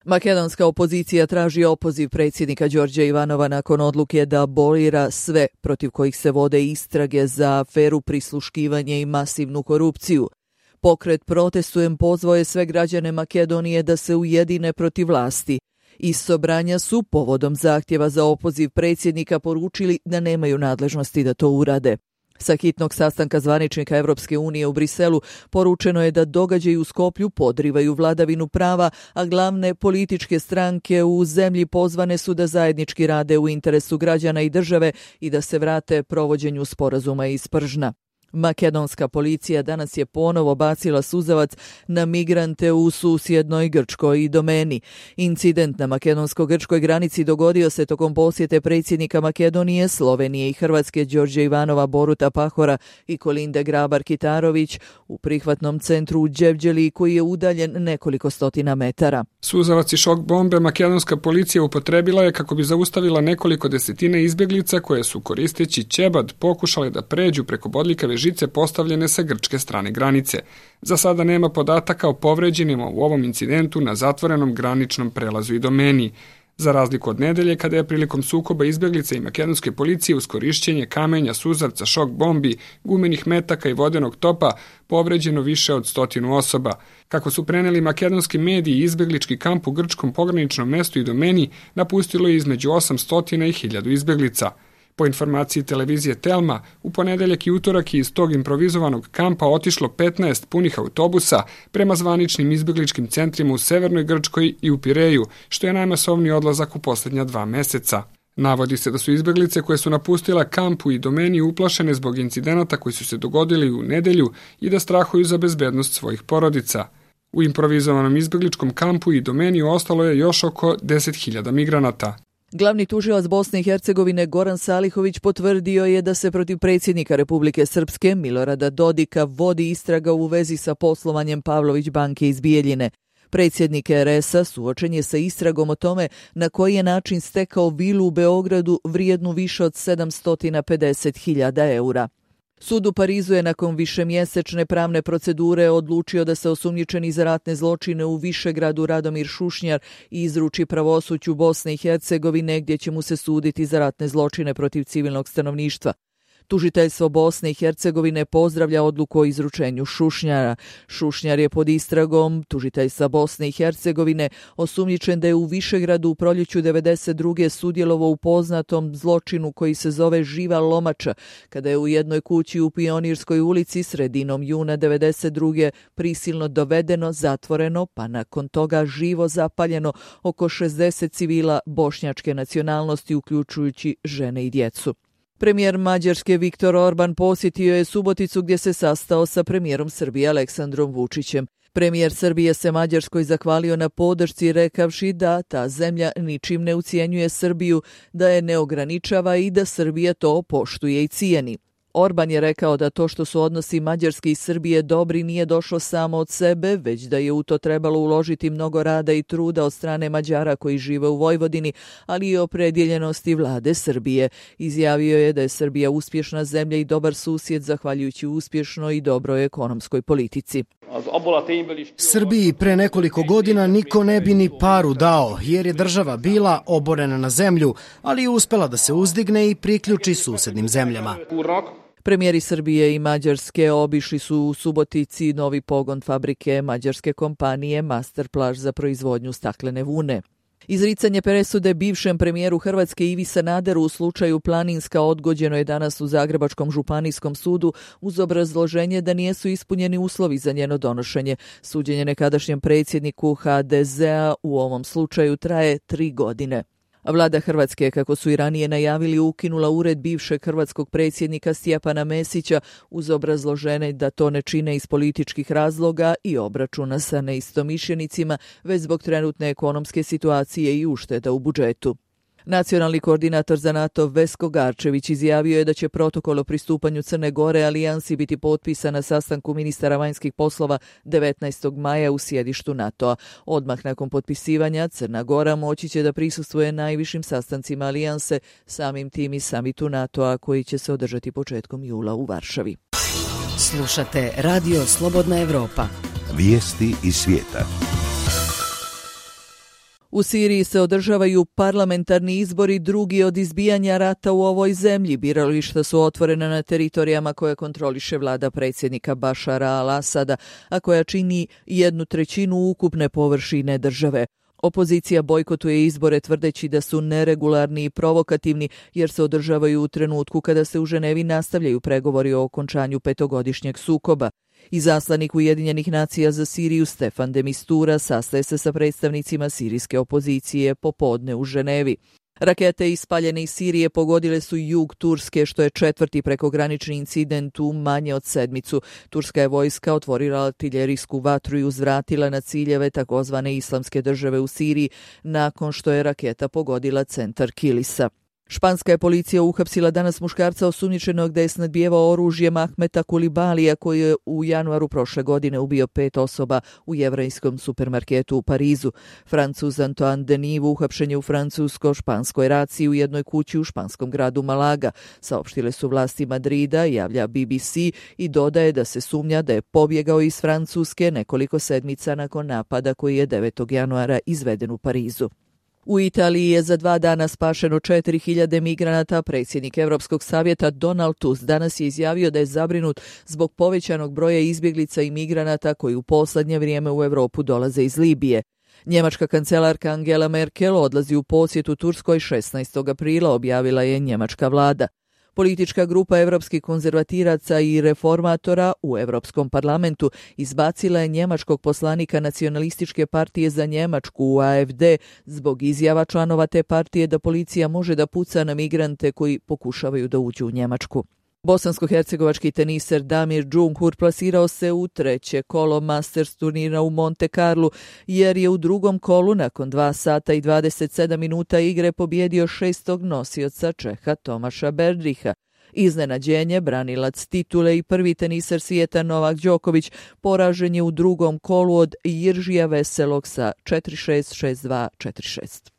Makedonska opozicija traži opoziv predsjednika Đorđa Ivanova nakon odluke da abolira sve protiv kojih se vode istrage za aferu prisluškivanje i masivnu korupciju. Pokret Protestujem pozvao je sve građane Makedonije da se ujedine protiv vlasti. Iz Sobranja su povodom zahtjeva za opoziv predsjednika poručili da nemaju nadležnosti da to urade. Sa hitnog sastanka zvaničnika Evropske unije u Briselu poručeno je da događaji u Skoplju podrivaju vladavinu prava, a glavne političke stranke u zemlji pozvane su da zajednički rade u interesu građana i države i da se vrate provođenju sporazuma iz Pržna. Makedonska policija danas je ponovo bacila suzavac na migrante u susjednoj Grčkoj i Domeni. Incident na makedonsko-grčkoj granici dogodio se tokom posjete predsjednika Makedonije, Slovenije i Hrvatske Đorđa Ivanova, Boruta Pahora i Kolinde Grabar-Kitarović u prihvatnom centru u Đevđeli koji je udaljen nekoliko stotina metara. Suzavac i šok bombe makedonska policija upotrebila je kako bi zaustavila nekoliko desetina izbjeglica koje su koristeći ćebad pokušale da pređu preko bodljikave žice postavljene sa grčke strane granice. Za sada nema podataka o povređenima u ovom incidentu na zatvorenom graničnom prelazu i Domeni. Za razliku od nedelje, kada je prilikom sukoba izbjeglica i makedonske policije uz korišćenje kamenja, suzavca, šok bombi, gumenih metaka i vodenog topa povređeno više od 100 osoba. Kako su preneli makedonski mediji, izbjeglički kamp u grčkom pograničnom mestu i Domeni napustilo je između 800 i 1000 izbjeglica. Po informaciji televizije Telma, u ponedeljak i utorak je iz tog improvizovanog kampa otišlo 15 punih autobusa prema zvaničnim izbjegličkim centrima u severnoj Grčkoj i u Pireju, što je najmasovniji odlazak u posljednja 2 meseca. Navodi se da su izbjeglice koje su napustila kampu i Domeni uplašene zbog incidenata koji su se dogodili u nedelju i da strahuju za bezbednost svojih porodica. U improvizovanom izbjegličkom kampu i Domeni ostalo je još oko 10.000 migranata. Glavni tužilac Bosne i Hercegovine Goran Salihović potvrdio je da se protiv predsjednika Republike Srpske Milorada Dodika vodi istraga u vezi sa poslovanjem Pavlović banke iz Bijeljine. Predsjednik RS-a suočen je sa istragom o tome na koji je način stekao vilu u Beogradu vrijednu više od 750.000 eura. Sud u Parizu je nakon višemjesečne pravne procedure odlučio da se osumnjičeni za ratne zločine u Višegradu Radomir Šušnjar izruči pravosuđu Bosne i Hercegovine gdje će mu se suditi za ratne zločine protiv civilnog stanovništva. Tužiteljstvo Bosne i Hercegovine pozdravlja odluku o izručenju Šušnjara. Šušnjar je pod istragom tužiteljstva Bosne i Hercegovine osumnjičen da je u Višegradu u proljeću 1992. sudjelovao u poznatom zločinu koji se zove Živa lomača, kada je u jednoj kući u Pionirskoj ulici sredinom juna 1992. prisilno dovedeno, zatvoreno, pa nakon toga živo zapaljeno oko 60 civila bošnjačke nacionalnosti, uključujući žene i djecu. Premijer Mađarske Viktor Orban posjetio je Suboticu gdje se sastao sa premijerom Srbije Aleksandrom Vučićem. Premijer Srbije se Mađarskoj zahvalio na podršci rekavši da ta zemlja ničim ne ucijenjuje Srbiju, da je ne ograničava i da Srbija to poštuje i cijeni. Orban je rekao da to što su odnosi Mađarske i Srbije dobri nije došlo samo od sebe, već da je u to trebalo uložiti mnogo rada i truda od strane Mađara koji žive u Vojvodini, ali i opredjeljenosti vlade Srbije. Izjavio je da je Srbija uspješna zemlja i dobar susjed zahvaljujući uspješnoj i dobroj ekonomskoj politici. Srbiji pre nekoliko godina niko ne bi ni paru dao, jer je država bila oborena na zemlju, ali je uspela da se uzdigne i priključi susjednim zemljama. Premijeri Srbije i Mađarske obišli su u Subotici novi pogon fabrike mađarske kompanije Masterplaž za proizvodnju staklene vune. Izricanje presude bivšem premijeru Hrvatske Ivi Sanaderu u slučaju Planinska odgođeno je danas u Zagrebačkom županijskom sudu uz obrazloženje da nisu ispunjeni uslovi za njeno donošenje. Suđenje nekadašnjem predsjedniku HDZ-a u ovom slučaju traje 3 godine. Vlada Hrvatske, kako su i ranije najavili, ukinula ured bivšeg hrvatskog predsjednika Stjepana Mesića uz obrazloženje da to ne čine iz političkih razloga i obračuna sa neistomišljenicima, već zbog trenutne ekonomske situacije i ušteda u budžetu. Nacionalni koordinator za NATO Vesko Garčević izjavio je da će protokol o pristupanju Crne Gore alijansi biti potpisan na sastanku ministara vanjskih poslova 19. maja u sjedištu NATO-a. Odmah nakon potpisivanja Crna Gora moći će da prisustvuje najvišim sastancima alijanse, samim tim i samitu NATO-a koji će se održati početkom jula u Varšavi. Slušate Radio Slobodna Evropa. Vijesti iz svijeta. U Siriji se održavaju parlamentarni izbori, drugi od izbijanja rata u ovoj zemlji. Birališta su otvorena na teritorijama koje kontroliše vlada predsjednika Bašara al-Asada, a koja čini 1/3 ukupne površine države. Opozicija bojkotuje izbore tvrdeći da su neregularni i provokativni jer se održavaju u trenutku kada se u Ženevi nastavljaju pregovori o okončanju 5-godišnjeg sukoba. Izaslanik Ujedinjenih nacija za Siriju Stefan de Mistura sastaje se sa predstavnicima sirijske opozicije popodne u Ženevi. Rakete ispaljene iz Sirije pogodile su jug Turske, što je 4. prekogranični incident u manje od sedmicu. Turska je vojska otvorila artiljerijsku vatru i uzvratila na ciljeve takozvane islamske države u Siriji nakon što je raketa pogodila centar Kilisa. Španska je policija uhapsila danas muškarca osumnjičenog da je snadbijevao oružjem Ahmeta Kulibalija koji je u januaru prošle godine ubio 5 osoba u jevrejskom supermarketu u Parizu. Francuz Antoine Denis uhapšen je u francusko-španskoj raciji u jednoj kući u španskom gradu Malaga. Saopštile su vlasti Madrida, javlja BBC i dodaje da se sumnja da je pobjegao iz Francuske nekoliko sedmica nakon napada koji je 9. januara izveden u Parizu. U Italiji je za 2 dana spašeno 4.000 migranata. Predsjednik Europskog savjeta Donald Tusk danas je izjavio da je zabrinut zbog povećanog broja izbjeglica i migranata koji u posljednje vrijeme u Europu dolaze iz Libije. Njemačka kancelarka Angela Merkel odlazi u posjetu Turskoj 16. aprila, objavila je njemačka vlada. Politička grupa evropskih konzervatiraca i reformatora u Europskom parlamentu izbacila je njemačkog poslanika Nacionalističke partije za Njemačku u AFD zbog izjava članova te partije da policija može da puca na migrante koji pokušavaju da uđu u Njemačku. Bosansko-hercegovački teniser Damir Džumhur plasirao se u 3. kolo Masters turnira u Monte Carlu jer je u 2. kolu nakon 2 sata i 27 minuta igre pobjedio 6. nosioca Čeha Tomaša Berdriha. Iznenađenje, branilac titule i prvi teniser svijeta Novak Đoković poražen je u 2. kolu od Jiržija Veselog sa 4-6, 6-2, 4-6.